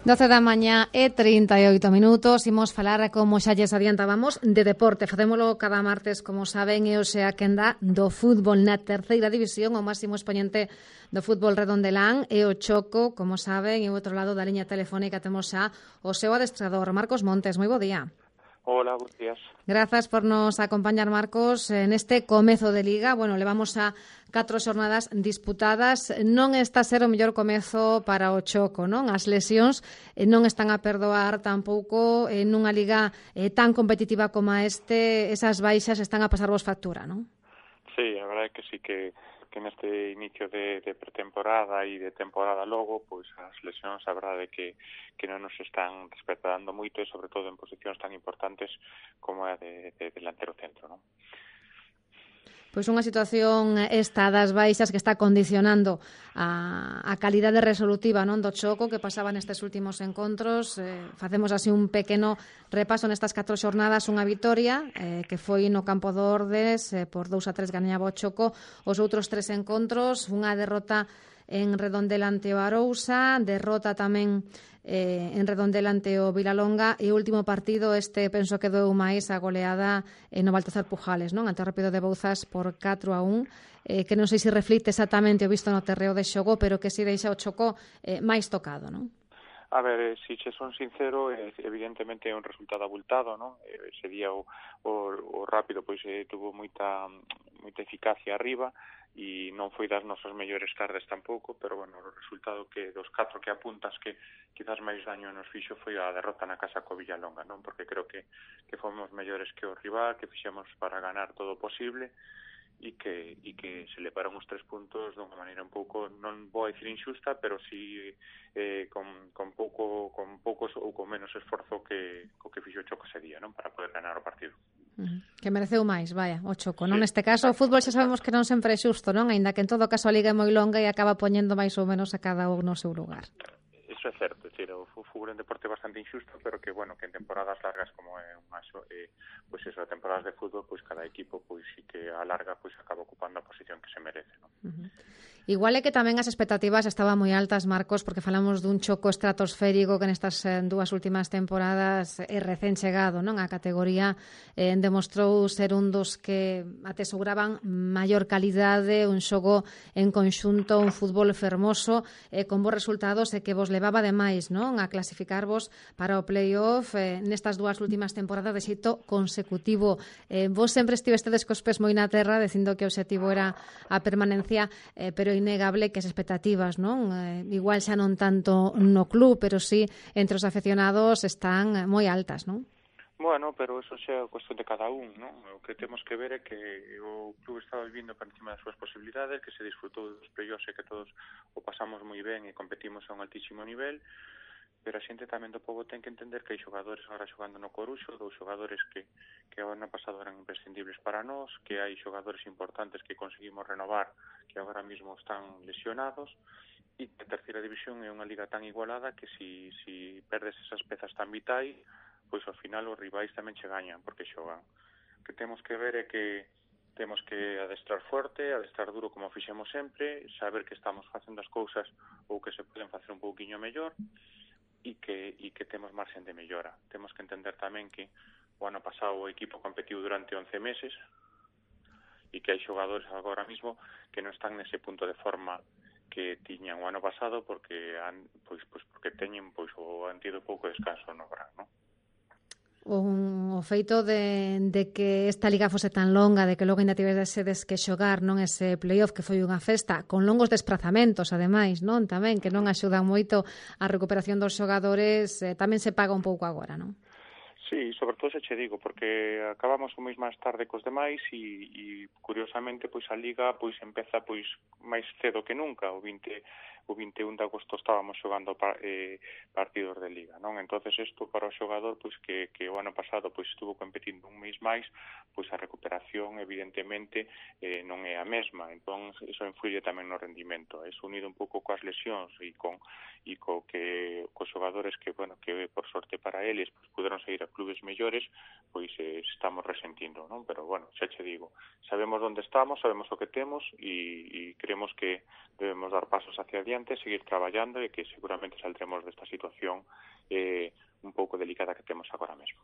12 da mañá e 38 minutos. Imos falar, como xa lles adiantábamos, de deporte. Facémolo cada martes, como saben, e hoxe a quenda do fútbol na terceira división, o máximo expoñente do fútbol redondelán e o Choco, como saben, e o outro lado da liña telefónica temos xa o seu adestrador, Marcos Montes. Moi bo día. Hola, buenos días. Grazas por nos acompañar, Marcos, neste comezo de Liga. Bueno, levamos a 4 xornadas disputadas. Non está a ser o mellor comezo para o Choco, non? As lesións non están a perdoar tampouco nunha Liga tan competitiva como esas baixas están a pasarvos factura, non? Sí, a verdade é que sí que neste inicio de pretemporada e de temporada logo, pois as lesións a verdade é que non nos están despertando moito e sobre todo en posicións tan importantes como a de delantero centro, non? Pois unha situación esta das baixas que está condicionando a calidade resolutiva, non, do Choco que pasaba nestes últimos encontros. Facemos así un pequeno repaso nestas 4 xornadas, unha vitoria que foi no campo do Ordes, por 2-3 gañaba o Choco. Os outros 3 encontros, unha derrota en Redondela ante o Arousa, derrota tamén en Redondela ante o Vilalonga e o último partido penso que doeu máis a goleada no Baltasar Pujales, non? Ante o Rápido de Bouzas por 4-1, que non sei se reflite exactamente o visto no terreo de xogo, pero que si deixa o Choco máis tocado, non? A ver, se che son sincero, evidentemente é un resultado abultado, non? Ese día o Rápido pois tuvo moita eficacia arriba e non foi das nosas mellores tardes tampouco, pero bueno, o resultado que dos 4 que apuntas que quizás máis daño nos fixo foi a derrota na casa co Villalonga, non? Porque creo que fomos mellores que o rival, que fixemos para ganar todo o posible e que se levaron os 3 puntos dunha maneira un pouco, non vou a dicir injusta, pero si con poucos ou con menos esforzo que fixo o Choco ese día, non? Para poder ganar o partido. Que mereceu máis, vaya, o Choco, non? Sí, Neste caso, o fútbol xa sabemos que non sempre é xusto, non? Aínda que en todo caso a Liga é moi longa e acaba poñendo máis ou menos a cada un no seu lugar. Eso é certo, é dicir, o fútbol é un deporte bastante injusto, pero que, bueno, que en temporadas largas como é pois eso, temporadas de fútbol, pois cada equipo, pois sí que a larga, pois acaba ocupando a posición que se merece, non? Igual é que tamén as expectativas estaban moi altas, Marcos, porque falamos dun Choco estratosférico que nestas 2 últimas temporadas é recén chegado, non? A categoría demostrou ser un dos que atesouraban maior calidade, un xogo en conxunto, un fútbol fermoso, con bons resultados e que vos levaba ademais, non? A clasificarvos para o play-off nestas 2 últimas temporadas de xeito consecutivo. Vos sempre estivestedes cos pés moi na terra, dicindo que o objetivo era a permanencia, pero innegable que as expectativas, non? Igual xa non tanto no club, pero sí entre os afeccionados están moi altas, non? Bueno, pero eso xa é cuestión de cada un, non? O que temos que ver é que o club está vivindo por encima das súas posibilidades, que se disfrutou dos playoffs e que todos o pasamos moi ben e competimos a un altísimo nivel, pero a xente tamén do pobo ten que entender que hai xogadores agora xogando no Coruxo, 2 xogadores que o ano pasado eran imprescindibles para nós, que hai xogadores importantes que conseguimos renovar que agora mesmo están lesionados, e a terceira división é unha liga tan igualada que si perdes esas pezas tan vitais, pois ao final os rivais tamén che gañan porque xogan. O que temos que ver é que temos que adestrar forte, adestrar duro como fixemos sempre, saber que estamos facendo as cousas ou que se poden facer un pouquiño mellor e que temos marxen de mellora. Temos que entender tamén que o ano pasado o equipo competiu durante 11 meses e que hai xogadores agora mesmo que non están nese punto de forma que tiñan o ano pasado porque teñen han tido pouco descanso no verán, non? O feito de que esta liga fose tan longa, de que logo ainda tivesedes que xogar, non, ese playoff que foi unha festa, con longos desprazamentos, ademais, non? Tamén, que non axudan moito a recuperación dos xogadores, tamén se paga un pouco agora, non? Sí, sobre todo se che digo, porque acabamos un mes máis tarde cos demais e curiosamente pois a liga pois empeza pois máis cedo que nunca, o 21 de agosto estábamos xogando partidos de liga, non? Entonces isto para o xogador pois que o ano pasado pois estuvo competindo un mes máis, pois a recuperación evidentemente non é a mesma, entón iso influye tamén no rendimento. Eso unido un pouco coas lesións e cos xogadores que por sorte para eles pois puderon seguir a clubes mellores, pois estamos resentindo, non? Pero bueno, xa che digo, sabemos onde estamos, sabemos o que temos e creemos que debemos dar pasos hacia adiante adiante, seguir traballando e que seguramente saldremos desta situación un pouco delicada que temos agora mesmo.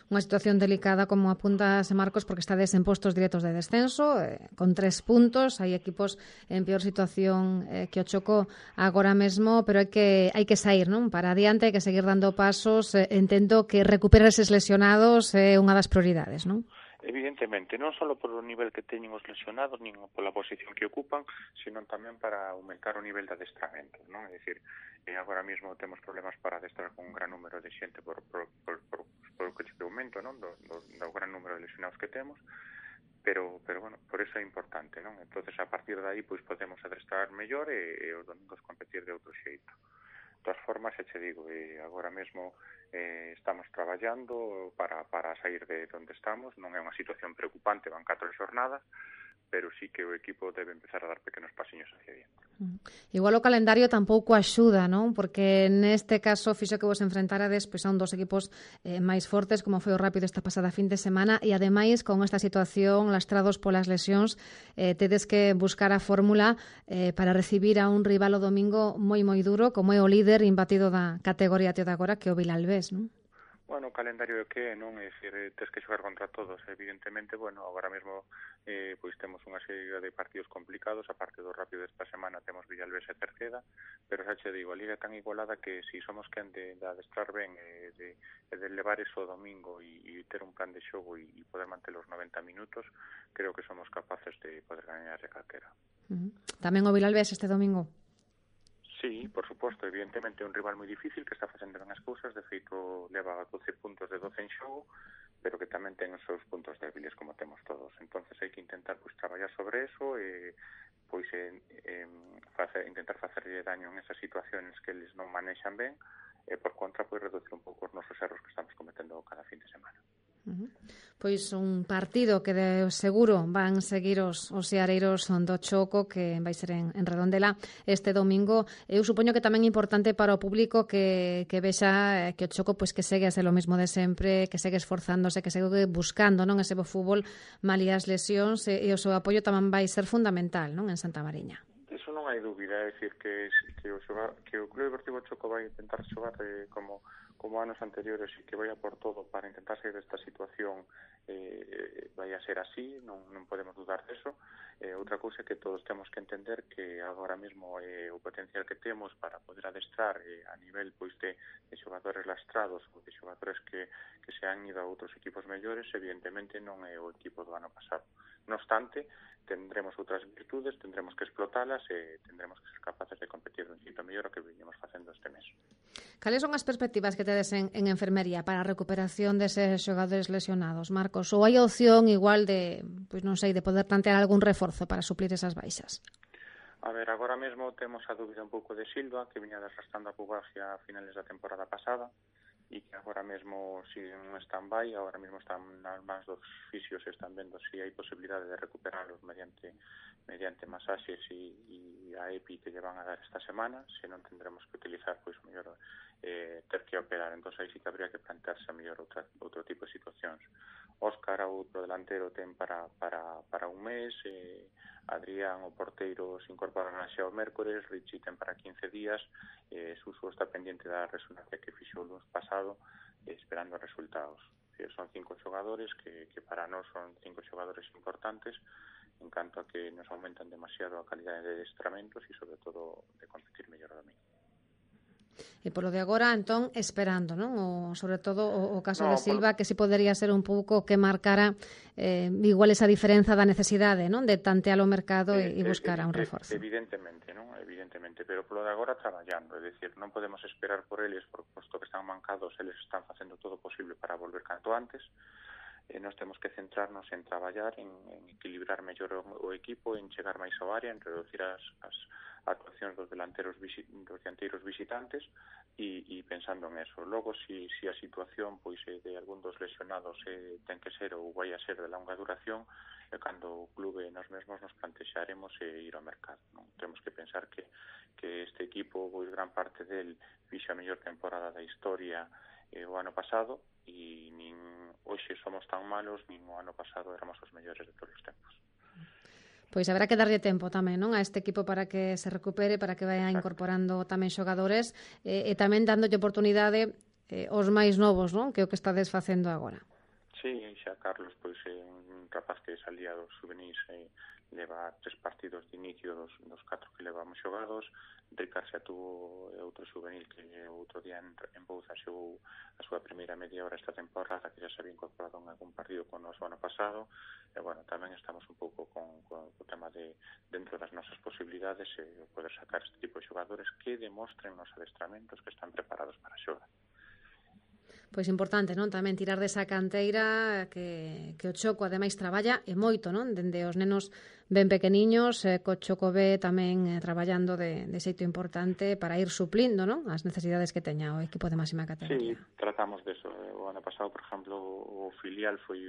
Unha situación delicada, como apuntas, Marcos, porque estades en postos directos de descenso, con 3 puntos, hai equipos en peor situación que o Choco agora mesmo, pero hai que sair, non? Para adiante, hai que seguir dando pasos, entendo que recuperar eses lesionados é unha das prioridades, non? Evidentemente, non só por o nivel que teñen os lesionados, nin pola posición que ocupan, sino tamén para aumentar o nivel de adestramento, non? É dicir, agora mesmo temos problemas para adestrar con un gran número de xente por o que te aumento, non? Do gran número de lesionados que temos, pero bueno, por eso é importante, non? Entonces, a partir de aí, pois podemos adestrar mellor e os domingos competir de outro xeito. De todas formas, te digo, agora mesmo estamos traballando para sair de onde estamos. Non é unha situación preocupante, van 4 xornadas, pero sí que o equipo debe empezar a dar pequenos pasiños hacia diante. Igual o calendario tampouco axuda, non? Porque neste caso fixo que vos enfrentarades pois a un dos equipos máis fortes, como foi o Rápido esta pasada fin de semana, e ademais con esta situación lastrados polas lesións, tedes que buscar a fórmula para recibir a un rival o domingo moi duro, como é o líder imbatido da categoría de agora, que é o Vilalbés, non? Bueno, o calendario é que non, é dicir, tes que xogar contra todos, evidentemente, bueno, agora mesmo pois temos unha serie de partidos complicados, a parte do Rápido desta semana temos Villalbés e Cerceda, pero xa che digo, a liga é tan igualada que si somos quen de adestrar ben de levar eso o domingo e ter un plan de xogo e poder manter os 90 minutos, creo que somos capaces de poder gañar de calquera. Tamén o Vilalbés este domingo? Sí, por suposto, evidentemente é un rival moi difícil que está facendo ben as cousas, de feito leva 12 puntos de 12 en xogo, pero que tamén ten os seus puntos débiles como temos todos. Entonces hai que intentar traballar sobre eso e intentar facerlle daño en esas situaciones que eles non manexan ben e por contra reducir un pouco os nosos erros que estamos cometendo cada fin de semana. Pois un partido que de seguro van seguir os seareiros do Choco, que vai ser en Redondela este domingo. Eu supoño que tamén é importante para o público que vexa que o Choco pois que segue a ser o mismo de sempre, que segue esforzándose, que segue buscando, non, ese bo fútbol malia as lesións, e o seu apoio tamén vai ser fundamental, non, en Santa Mariña. Eso non hai dúbida, é dicir que o Club Deportivo Choco vai intentar xogar como anos anteriores e que vai a por todo para intentar sair desta situación, vai a ser así, non podemos dudar deso. Outra cousa é que todos temos que entender que agora mesmo o potencial que temos para poder adestrar a nivel pois de xogadores lastrados ou de xogadores que se han ido a outros equipos mellores, evidentemente non é o equipo do ano pasado. No obstante, tendremos outras virtudes, tendremos que explotalas e tendremos que ser capaces de competir un xeito mellor o que viñemos facendo este mes. Cales son as perspectivas que tedes en enfermería para a recuperación deses xogadores lesionados, Marcos? Ou hai opción igual de, pois non sei, de poder plantear algún reforzo para suplir esas baixas? A ver, agora mesmo temos a dúbida un pouco de Silva, que viña desgastando a pubalgia a finales da temporada pasada, e que agora mesmo sigue un stand-by, agora mesmo están nas mans dos fisios e están vendo se hai posibilidade de recuperarlos mediante masaxes e a EPI que lle van a dar esta semana, se non tendremos que utilizar pois mellor ter que operar, entón aí sí que habría que plantearse mellor outro tipo de situacións. Óscar, outro delantero, ten para un mes, Adrián, o porteiro, se incorporará xa o mércores, Richie ten para 15 días, Suso está pendiente da resonancia que fixo o lunes pasado, esperando resultados. Son 5 xogadores que para nós son 5 xogadores importantes, en canto a que nos aumentan demasiado a calidade de adestramentos e, sobre todo, de competir mellor a domingo. E polo de agora, entón, esperando, non? Sobre todo o caso de Silva, que si podería ser un pouco que marcara igual esa diferenza da necesidade, non? De tantear o mercado e buscar a un reforzo. Evidentemente, non? Evidentemente, pero polo de agora traballando, é dicir, non podemos esperar por eles, por posto que están mancados, eles están facendo todo o posible para volver canto antes. Nós temos que centrarnos en traballar, en equilibrar mellor o equipo, en chegar máis ao área, en reducir as actuacións dos dianteiros visitantes e pensando en eso. Logo, si a situación pois de algún dos lesionados ten que ser ou vai a ser de longa duración, cando o clube nós mesmos nos plantexaremos ir ao mercado, non? Temos que pensar que este equipo, pois gran parte del fixa a mellor temporada da historia o ano pasado e nin hoxe somos tan malos, nin o ano pasado éramos os mellores de todos os tempos. Pois haberá que darlle tempo tamén, non, a este equipo para que se recupere, para que vaya incorporando tamén xogadores e tamén dándolle oportunidade aos máis novos, non, que é o que estades facendo agora. Sí, xa Carlos, pois un rapaz que salía dos juvenis leva 3 partidos de inicio dos 4 que levamos xogados. Ricard xa tuvo outro juvenil que outro día en Bouza xogou a súa primeira media hora esta temporada, que xa se había incorporado en algún partido con o ano pasado. E, bueno, tamén estamos un pouco con o tema de, dentro das nosas posibilidades, poder sacar este tipo de xogadores que demostren nos adestramentos que están preparados para xogar. Pois importante, non? Tamén tirar desa canteira que o Choco ademais traballa e moito, non? Dende os nenos ben pequeniños, co Choco B tamén traballando de xeito importante para ir suplindo, non? As necesidades que teña o equipo de máxima categoría. Sí, tratamos de eso. O ano pasado, por exemplo, o filial foi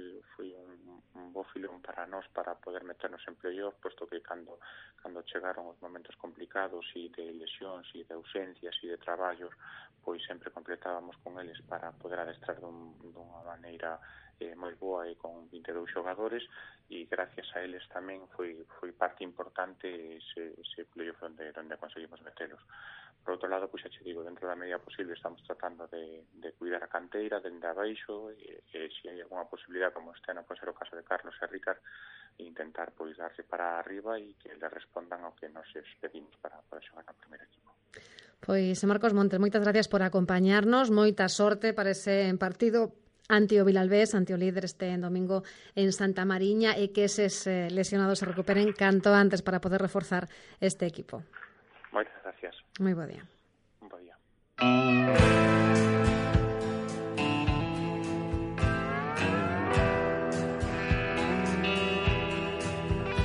un bo filón para nós para poder meternos en playoff, posto que cando chegaron os momentos complicados e de lesións e de ausencias e de traballos, pois sempre completábamos con eles para poder adestrar dunha maneira moi boa e con 22 xogadores, e gracias a eles tamén foi parte importante ese playoff onde conseguimos metelos. Por outro lado, pois xa che digo, dentro da medida posible estamos tratando de cuidar a canteira dende abaixo, e se hai alguna posibilidad, como este ano pode ser o caso de Carlos e Ricard, intentar pois darse para arriba e que le respondan ao que nos pedimos para xogar no primeiro equipo. Pois Marcos Montes, moitas gracias por acompañarnos, moita sorte para ese partido ante o Vilalbés, ante o líder este domingo en Santa Mariña, e que eses lesionados se recuperen canto antes para poder reforzar este equipo. Moitas gracias. Moi bo día. Un bo día.